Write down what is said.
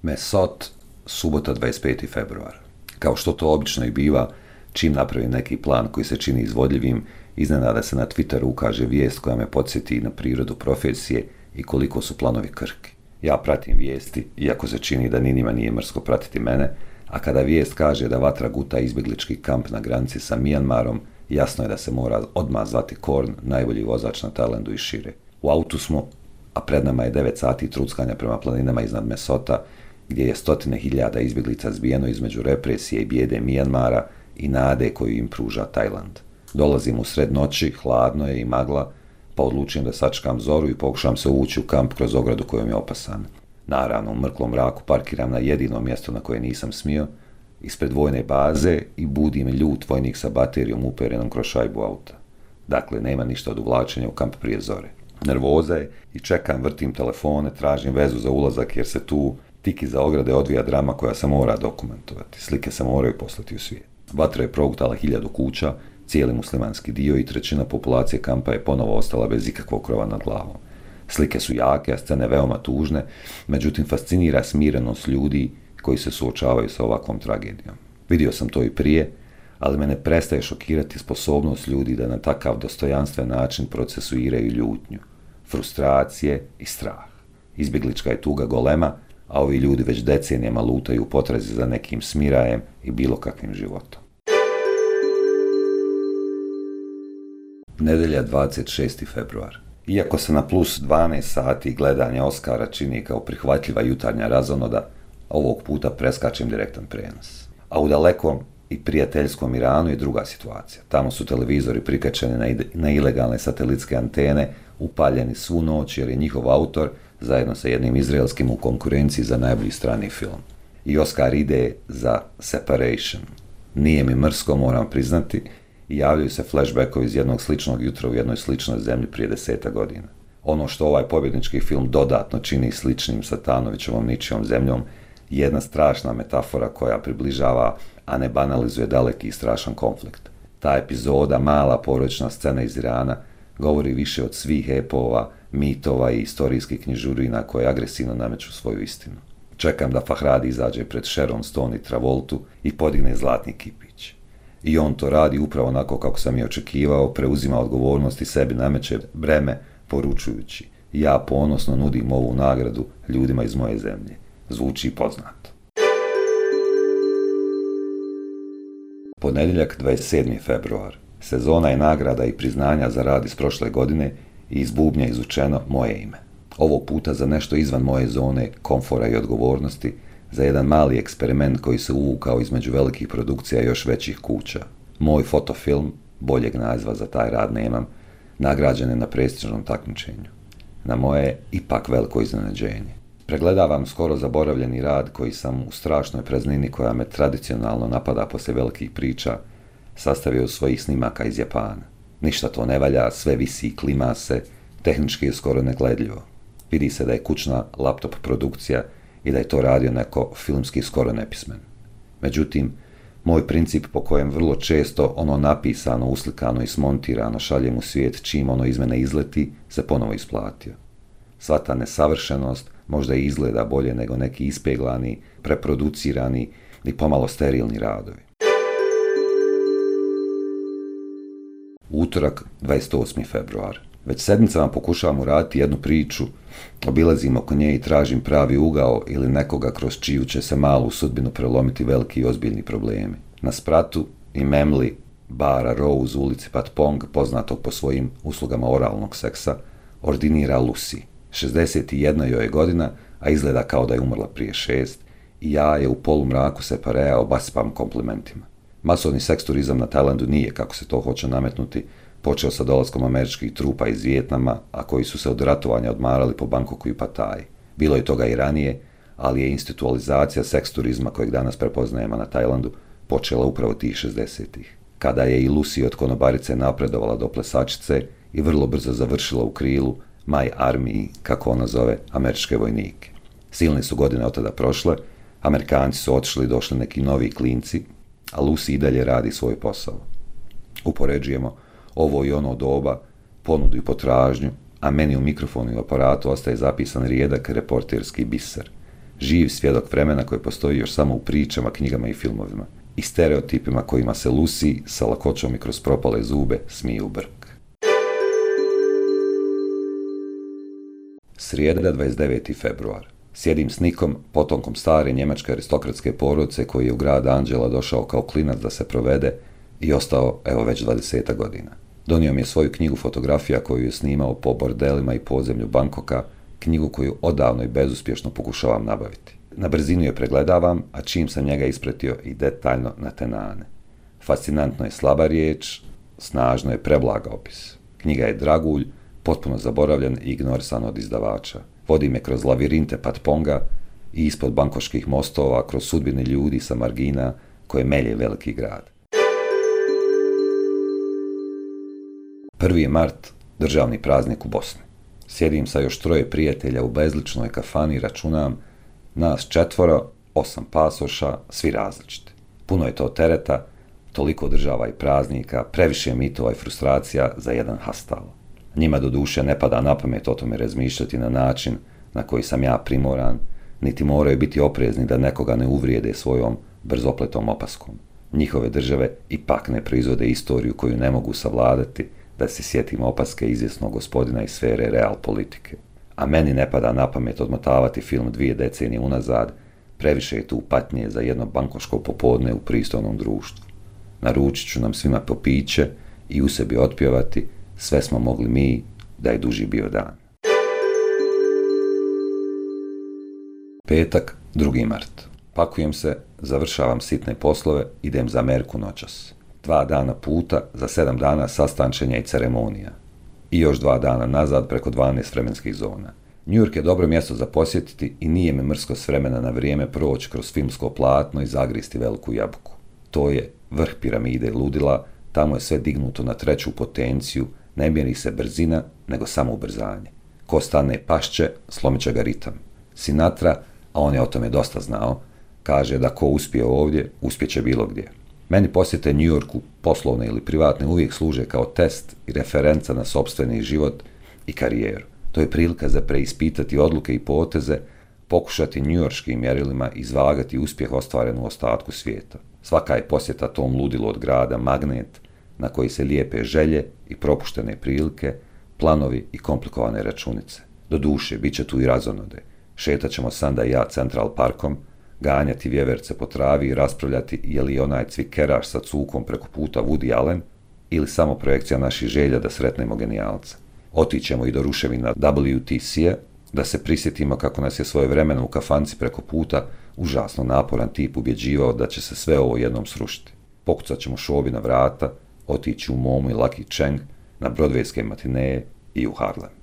Mesot, subota 25. februar. Kao što to obično i biva, čim napravim neki plan koji se čini izvodljivim, iznenada se na Twitteru ukaže vijest koja me podsjeti na prirodu profesije i koliko su planovi krhki. Ja pratim vijesti, iako se čini da ni njima nije mrsko pratiti mene, a kada vijest kaže da vatra guta izbjeglički kamp na granici sa Mijanmarom, jasno je da se mora odmah zvati Korn, najbolji vozač na Tajlandu i šire. U autu smo, a pred nama je 9 sati truckanja prema planinama iznad Mesota, gdje je stotine hiljada izbjeglica zbijeno između represije i bijede Mijanmara i nade koju im pruža Tajland. Dolazim u sred noći, hladno je i magla, pa odlučujem da sačekam zoru i pokušam se uvući u kamp kroz ogradu kojom je opasan. Naravno, u mrklom mraku parkiram na jedino mjesto na koje nisam smio, ispred vojne baze i budim ljut vojnik sa baterijom uperenom kroz šajbu auta. Dakle, nema ništa od uvlačenja u kamp prije zore. Nervoza je i čekam, vrtim telefone, tražim vezu za ulazak jer se tu tik iza ograde odvija drama koja se mora dokumentovati. Slike se moraju poslati u svijet. Vatra je progutala 1000 kuća, cijeli muslimanski dio i trećina populacije kampa je ponovo ostala bez ikakvog krova nad glavom. Slike su jake, a scene veoma tužne, međutim fascinira smirenost ljudi koji se suočavaju sa ovakvom tragedijom. Vidio sam to i prije, ali me ne prestaje šokirati sposobnost ljudi da na takav dostojanstven način procesuiraju ljutnju, frustracije i strah. Izbjeglička je tuga golema, a ovi ljudi već decenijama lutaju u potrazi za nekim smirajem i bilo kakvim životom. Nedelja 26. februar. Iako se na plus 12 sati gledanja Oscara čini kao prihvatljiva jutarnja razonoda, ovog puta preskačem direktan prenos. A u dalekom i prijateljskom Iranu je druga situacija. Tamo su televizori prikačeni na ilegalne satelitske antene, upaljeni svu noć jer je njihov autor zajedno sa jednim izraelskim u konkurenciji za najbolji strani film. I Oscar ide za Separation. Nije mi mrsko, moram priznati, i javljaju se flashbackovi iz jednog sličnog jutra u jednoj sličnoj zemlji prije 10 godina. Ono što ovaj pobjednički film dodatno čini sličnim sa Tanovićevom ničijom zemljom je jedna strašna metafora koja približava, a ne banalizuje daleki i strašan konflikt. Ta epizoda, mala porodična scena iz Irana, govori više od svih epova, mitova i istorijskih knjižurina koje agresivno nameću svoju istinu. Čekam da Fahradi izađe pred Sharon Stone i Travoltu i podigne zlatni kipić. I on to radi upravo onako kako sam i očekivao, preuzima odgovornost i sebi nameće breme, poručujući: ja ponosno nudim ovu nagradu ljudima iz moje zemlje. Zvuči poznato. Ponedjeljak 27. februar. Sezona je nagrada i priznanja za rad iz prošle godine i iz bubnja izvučeno moje ime. Ovog puta za nešto izvan moje zone komfora i odgovornosti, za jedan mali eksperiment koji se uvukao između velikih produkcija i još većih kuća. Moj fotofilm, boljeg naziva za taj rad nemam, nagrađen je na prestižnom takmičenju. Na moje ipak veliko iznenađenje. Pregledavam skoro zaboravljeni rad koji sam u strašnoj praznini koja me tradicionalno napada poslije velikih priča sastavio svojih snimaka iz Japana. Ništa to ne valja, sve visi i klima se, tehnički je skoro negledljivo. Vidi se da je kućna laptop produkcija i da je to radio neko filmski skoro nepismen. Međutim, moj princip po kojem vrlo često ono napisano, uslikano i smontirano šaljem u svijet čim ono iz mene izleti, se ponovo isplatio. Sva ta nesavršenost možda i izgleda bolje nego neki ispeglani, preproducirani i pomalo sterilni radovi. Utorak, 28. februar. Već sedmicama pokušavam uraditi jednu priču, obilazim oko nje i tražim pravi ugao ili nekoga kroz čiju će se malu sudbinu prelomiti veliki i ozbiljni problemi. Na spratu i memli bara Rose u ulici Patpong, poznatog po svojim uslugama oralnog seksa, ordinira Lucy. 61 joj je godina, a izgleda kao da je umrla prije 6, i ja je u polumraku Separea obasipam komplimentima. Masovni seks turizam na Tajlandu nije, kako se to hoće nametnuti, počeo sa dolaskom američkih trupa iz Vijetnama, a koji su se od ratovanja odmarali po Bangkoku i Pataji. Bilo je toga i ranije, ali je institualizacija seks turizma kojeg danas prepoznajemo na Tajlandu počela upravo tih 60-ih. Kada je i Lucy od konobarice napredovala do plesačice i vrlo brzo završila u krilu My Army, kako ona zove američke vojnike. Silne su godine od tada prošle, Amerikanci su otišli i došli neki novi klinci, a Lucy i dalje radi svoj posao. Upoređujemo ovo i ono doba, ponudu i potražnju, a meni u mikrofonu i aparatu ostaje zapisan rijedak reporterski biser. Živ svjedok vremena koje postoji još samo u pričama, knjigama i filmovima. I stereotipima kojima se Lucy sa lakoćom i kroz propale zube smije u brk. Srijeda, 29. februar. Sjedim s Nikom, potomkom stare njemačke aristokratske porodice koji je u grad Anđela došao kao klinac da se provede i ostao evo već 20 godina. Donio mi je svoju knjigu fotografija koju je snimao po bordelima i podzemlju Bankoka, knjigu koju odavno i bezuspješno pokušavam nabaviti. Na brzinu je pregledavam, a čim sam njega ispratio i detaljno na tenane. Fascinantno je slaba riječ, snažno je preblaga opis. Knjiga je dragulj, potpuno zaboravljen i ignorisan od izdavača. Vodi me kroz lavirinte Patponga i ispod bankoških mostova, kroz sudbine ljudi sa margina koje melje veliki grad. 1. mart, državni praznik u Bosni. Sjedim sa još 3 prijatelja u bezličnoj kafani i računam, nas 4, 8 pasoša, svi različiti. Puno je to tereta, toliko država i praznika, previše mitova i frustracija za jedan hastal. Njima doduše ne pada na pamet o tome razmišljati na način na koji sam ja primoran, niti moraju biti oprezni da nekoga ne uvrijede svojom brzopletom opaskom. Njihove države ipak ne proizvode istoriju koju ne mogu savladati, da se sjetimo opaske izvjesnog gospodina iz sfere real politike. A meni ne pada na pamet odmotavati film 2 decenije unazad, previše je tu patnje za jedno bankoško popodne u pristojnom društvu. Naručit ću nam svima po piće i u sebi otpjevati, sve smo mogli mi, da je duži bio dan. Petak, 2. mart. Pakujem se, završavam sitne poslove, idem za Ameriku noćas. 2 dana puta, za 7 dana sastančenja i ceremonija. I još 2 dana nazad preko 12 vremenskih zona. New York je dobro mjesto za posjetiti i nije me mrsko s vremena na vrijeme proći kroz filmsko platno i zagristi veliku jabuku. To je vrh piramide ludila, tamo je sve dignuto na 3. potenciju, ne mjeri se brzina, nego samo ubrzanje. Ko stane pašće, slomit će ga ritam. Sinatra, a on je o tome dosta znao, kaže da ko uspije ovdje, uspjeće bilo gdje. Meni posjete New Yorku, poslovne ili privatne, uvijek služe kao test i referenca na sopstveni život i karijeru. To je prilika za preispitati odluke i poteze, pokušati njujorškim mjerilima izvagati uspjeh ostvaren u ostatku svijeta. Svaka je posjeta tom ludilu od grada magnet na koji se lijepe želje i propuštene prilike, planovi i komplikovane računice. Doduše, bit će tu i razonode. Šetat ćemo Sanda i ja Central Parkom, ganjati vjeverce po travi i raspravljati je li onaj cvikeraš sa cukom preko puta Woody Allen ili samo projekcija naših želja da sretnemo genijalca. Otićemo i do ruševina WTC-a, da se prisjetimo kako nas je svojevremeno u kafanci preko puta užasno naporan tip ubjeđivao da će se sve ovo jednom srušiti. Pokucat ćemo Šobi na vrata, otići u Momu i Lucky Cheng, na brodvejske matineje i u Harlem.